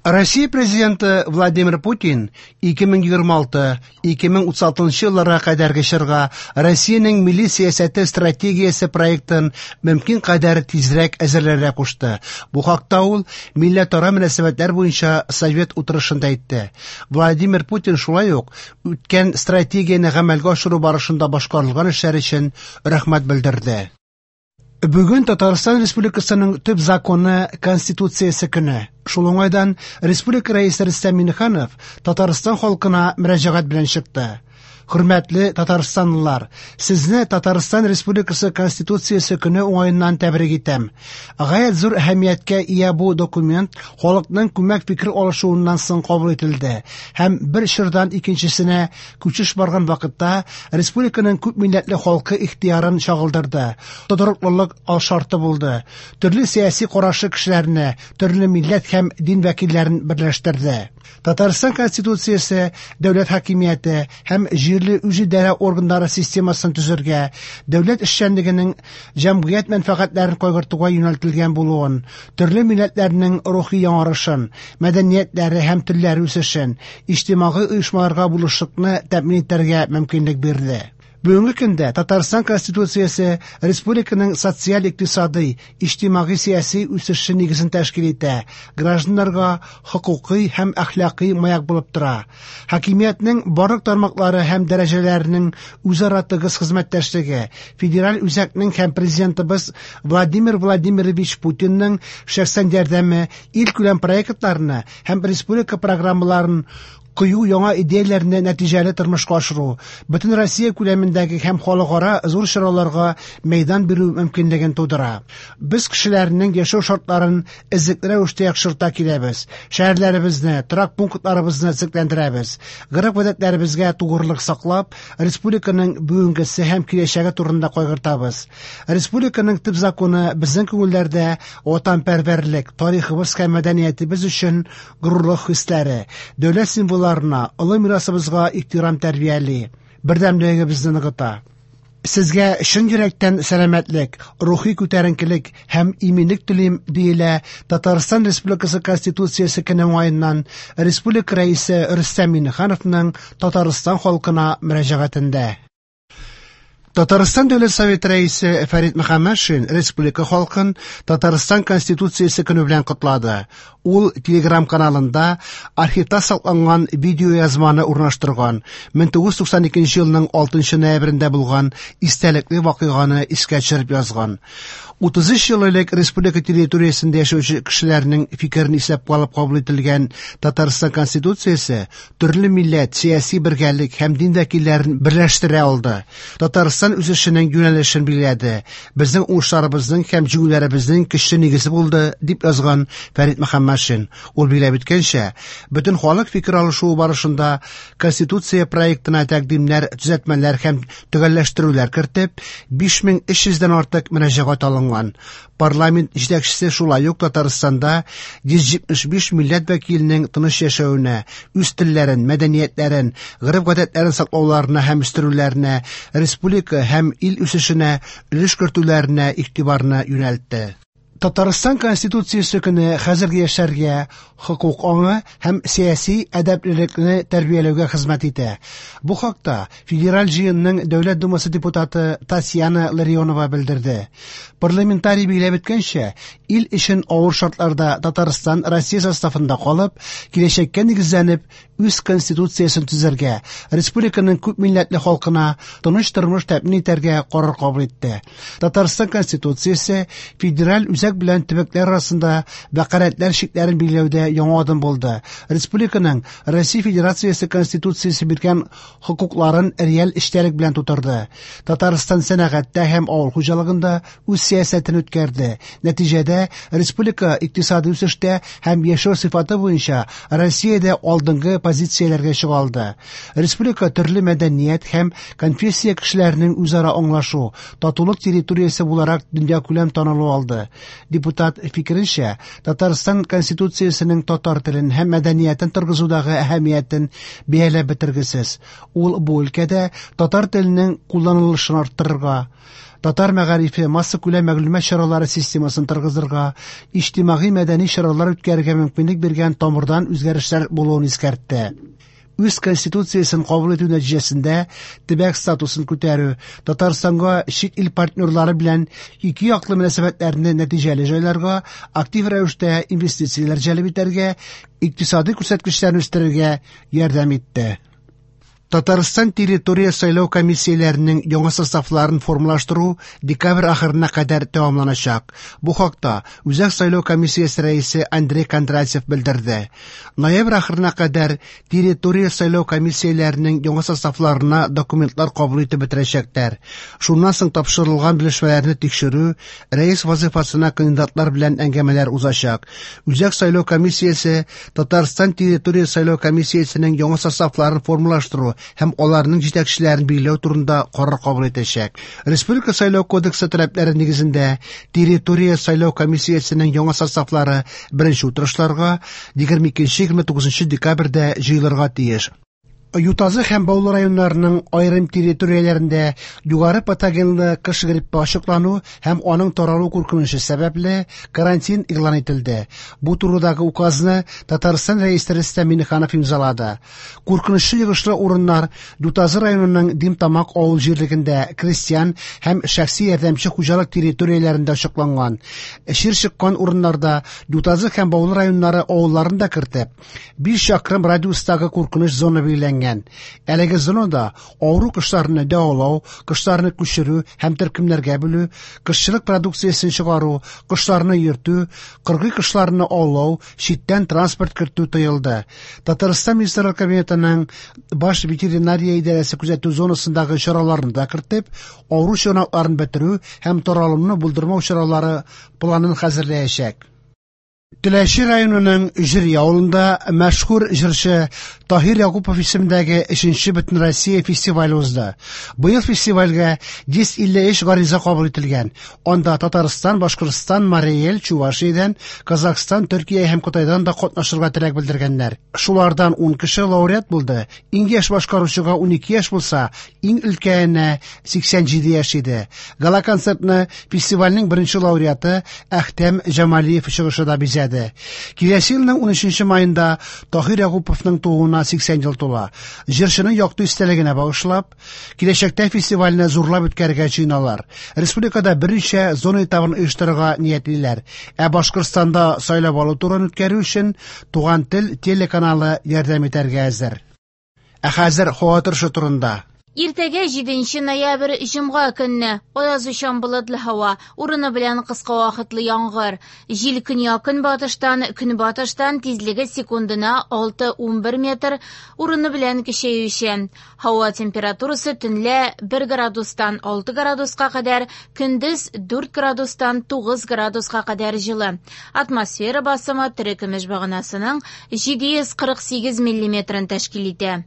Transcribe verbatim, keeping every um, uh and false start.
Россия президенты Владимир Путин ике мең егерме алты-ике мең утыз алтынчы елларга кадәрге чорга Россиянең милли сәясәте стратегиясе проектын мөмкин кадәр тизрәк әзерләргә кушты. Бу хакта ул милләтара мөнәсәбәтләр буенча совет утырышында әйтте. Владимир Путин шулай ук үткән стратегияне гамәлгә ашыру барышында башкарылган эшләр өчен рәхмәт белдерде. Бүген Татарстан Республикасының төп законы Конституциясе көне. Шул уңайдан Республика Рәисе Рөстәм Миңнеханов Татарстан халкына мөрәҗәгать белән чыкты. Хөрмәтле татарстанлылар, сезне Татарстан Республикасы Конституциясе көне уңаеннан тәбрик итәм. Гаять зур әһәмияткә ия бу документ халыкның күмәк фикер алышуыннан соң кабул ителде һәм бер чордан икенчесенә күчеш барган вакытта республиканың күп милләтле халкы ихтыярын чагылдырды. Тотрыклылык алшарты булды. Төрле сәяси карашы кешеләрне, төрле милләт һәм дин вәкилләрен берләштерде. Татарстан Конституциясе дәүләт хакимияте һәм җирле үзидарә органнары системасын төзергә, дәүләт эшчәнлегенең җәмгыять мәнфәгатьләрен кайгыртуга юнәлтелгән булуын, төрле милләтләрнең рухи яңарышын, мәдәниятләре һәм телләре үсешен, иҗтимагый оешмаларга булышлыкны тәэмин итәргә мөмкинлек бирде. Бүгенге көндә Татарстан Конституциясе республиканың социаль-икътисадый, иҗтимагый-сәяси үсеше нигезен тәшкил итә, гражданнарга хокукый һәм әхлакый маяк булып тора. Хакимиятнең барлык тармаклары һәм дәрәҗәләренең үзара тыгыз хезмәттәшлеге, федераль үзәкнең һәм президентыбыз Владимир Владимирович Путинның шәхсән ярдәме илкүләм проектларны һәм республика программаларын кыю яңа идеяләрне нәтиҗәле тормышка ашыру, бөтен Россия күләмендәге һәм халыкара зур чараларга мәйдан бирү мөмкинлеген тудыра. Без кешеләрнең яшәү шартларын эзлекле рәвештә яхшырта киләбез. Шәһәрләребезне, торак пунктларыбызны төзекләндерәбез. Гореф-гадәтләребезгә тугрылык саклап, республиканың бүгенгесе һәм киләчәге турында кайгыртабыз. Республиканың төп законы безнең күңелләрдә ватанпәрвәрлек, тарихыбыз һәм мәдәниятебез өчен горурлык хисләре, дәүләт символлары, олы мирасыбызга ихтирам тәрбияли, бердәмлегебезне ныгыта. Сезгә чын йөрәктән сәламәтлек, рухи күтәренкелек һәм иминлек телим, диелә Татарстан Республикасы Конституциясе көне уңаеннан Республика Рәисе Рөстәм Миңнехановның Татарстан халкына мөрәҗәгатендә. Татарстан Дәүләт Советы Рәисе Фәрит Мөхәммәтшин республика халкын Татарстан Конституциясе көне белән котлады. Ул Telegram каналында архивта сакланган видеоязманы урнаштырган. мең тугыз йөз туксан икенче елның алтынчы ноябрендә булган истәлекле вакыйганы искә төшереп язган. Утыз өч ел элек республика территориясендә яшәүче кешеләрнең фикерен исәпкә алып кабул ителгән Татарстан Конституциясе төрле милләт, сәяси бергәлек һәм дин вәкилләрен берләштерә алды. Татарстан үсешенең юнәлешен билгеләде. Безнең уңышларыбызның һәм җиңүләребезнең көчле нигезе булды, дип язган Фәрит Мөхәммәтшин. Ул билгеләп үткәнчә, бөтен халык фикер алышуы барышында Конституция проектына тәкъдимнәр, төзәтмәләр һәм төгәлләштерүләр кертеп, биш мең өч йөздән артык мөрәҗәгать алынган. Парламент җитәкчесе шулай ук Татарстанда йөз җитмеш биш милләт вәкиленең тыныч яшәвенә, үз телләрен, мәдәниятләрен, гореф-гадәтләрен саклауларына һәм үстерүләренә, республика һәм ил үсешенә өлеш кертүләренә игътибарны юнәлтте. Татарстан Конституциясе көне хәзерге яшьләргә хокук аңы һәм сәяси әдәплелекне тәрбияләүгә хезмәт итә. Бу хакта Федераль җыенның Дәүләт Думасы депутаты Татьяна Ларионова белдерде. Парламентарий билгеләп үткәнчә, ил өчен авыр шартларда Татарстан Россия составында калып, киләчәккә нигезләнеп, үз конституциясен төзергә, республиканың күп милләтле халкына тыныч тормыш тәэмин итәргә карар кабул итте. Татарстан Конституциясе федераль үзәк белән төбәкләр арасында вәкаләтләр чикләрен билгеләүдә яңа адым булды. Республиканың Россия Федерациясе Конституциясе биргән хокукларын реаль эчтәлек белән тутырды. Татарстан сәнәгатьтә һәм авыл хуҗалыгында үз сәясәтен үткәрде. Нәтиҗәдә республика икътисади үсештә һәм яшәү сыйфаты буенча Россиядә алдынгы позицияләргә чыга алды. Республика төрле мәдәният һәм конфессия кешеләренең үзара аңлашу, татулык территориясе буларак дөньякүләм танылу алды. Депутат фикеренчә, Татарстан Конституциясенең татар телен һәм мәдәниятен торгызудагы әһәмиятен бәяләп бетергесез. Ул бу өлкәдә татар теленең кулланылышын арттырырга, Татар мәгарифе, массакүләм мәгълүмат чаралары системасын торгызырга, иҗтимагый-мәдәни чаралар үткәрергә мөмкинлек биргән тамырдан үзгәрешләр булуын искәртте. Үз конституциясен кабул итү нәтиҗәсендә төбәк статусын күтәрү, Татарстанга чит ил партнерлары белән ике яклы мөнәсәбәтләрне нәтиҗәле җайларга, актив рәвештә инвестицияләр җәлеп итәргә, икътисади күрсәткечләрне үстерергә ярдәм итте. Татарстан территория сайлау комиссияләренең яңа составларын формалаштыру декабрь ахырына кадәр тәмамланачак. Бу хакта Үзәк сайлау комиссиясе рәисе Андрей Кондратьев белдерде. Ноябрь ахырына кадәр территория сайлау комиссияләренең яңа составларына документлар кабул итеп бетерәчәкләр. Шуннан соң тапшырылган белешмәләрне тикшерү, рәис вазифасына кандидатлар белән әңгәмәләр узачак. Үзәк сайлау комиссиясе Татарстан территория сайлау комиссиясенең яңа составларын формалаштыру һәм аларның җитәкчеләрен билгеләү турында карар кабул итәчәк. Республика сайлау кодексы таләпләре нигезендә территория сайлау комиссиясенең яңа составлары беренче утырышларга егерме икенче-егерме тугызынчы декабрьдә җыелырга тиеш. Ютазы һәм Баулы районнарының аерым территорияләрендә югары патогенлы кыш гриппы ачыклану һәм аның таралу куркынычы сәбәпле карантин игълан ителде. Бу турыдагы указны Татарстан Рәисе Рөстәм Миңнеханов имзалады. Куркынычлы йогышлы урыннар Ютазы районының Димтамак авыл җирлегендә крестьян һәм шәхси ярдәмче хуҗалык территорияләрендә ачыкланган. Чир чыккан урыннарда Ютазы һәм Баулы районнары авылларын да кертеп, биш чакрым радиустагы куркыныч зона билгеләнгән. Әлеге зонада авыру кошларны дәвалау, кошларны күчерү һәм төркемнәргә бүлү, кошчылык продукциясен чыгару, кошларны йөртү, кыргый кошларны аулау, читтән транспорт кертү тыелды. Татарстан Министрлар Кабинетының баш ветеринария идарәсе күзәтү зонасындагы чараларны да кертеп, авыру чыганакларын бетерү һәм таралуны булдырмау чаралары планын хәзерләячәк. Теләче районының Җөри авылында мәшһүр җырчы Таһир Якупов исемендәге өченче Бөтенроссия фестивале узды. Быел фестивальгә йөз илле өч гариза кабул ителгән. Анда Татарстан, Башкортстан, Марий Эл, Чувашиядән, Казахстан, Төркия һәм Кытайдан да катнашырга теләк белдергәннәр. Шулардан ун кеше лауреат булды. Иң яшь башкаручыга унике яшь булса, иң өлкәненә сиксән җиде яшь иде. Гала-концертны фестивальнең беренче лауреаты Әхтәм Җамалиев чыгышы да бизәде. Киләсе елның унөченче майында Таһир Якуповның тууына сиксән ел тула. Җырчының якты истәлегенә багышлап, киләчәктә фестивальне зурлап үткәрергә җыеналар. Республикада берничә зона этабын оештырырга ниятлиләр. Ә Башкортстанда сайлап алу турын үткәрү өчен Туган тел телеканалы ярдәм итәргә әзер. Ә хәзер һава торышы турында. Иртәгә җиденче ноябрь җомга көнне аязучан болытлы һава, урыны белән кыска вакытлы яңгыр. Җил көньяк-көнбатыштан, көнбатыштан тизлеге секундына алты унбер метр, урыны белән көчәюче. Һава температурасы төнлә бер градустан алты градуска кадәр, көндез дүрт градустан тугыз градуска кадәр җылы. Атмосфера басымы терекөмеш баганасының җиде йөз кырык сигез миллиметрын тәшкил итә.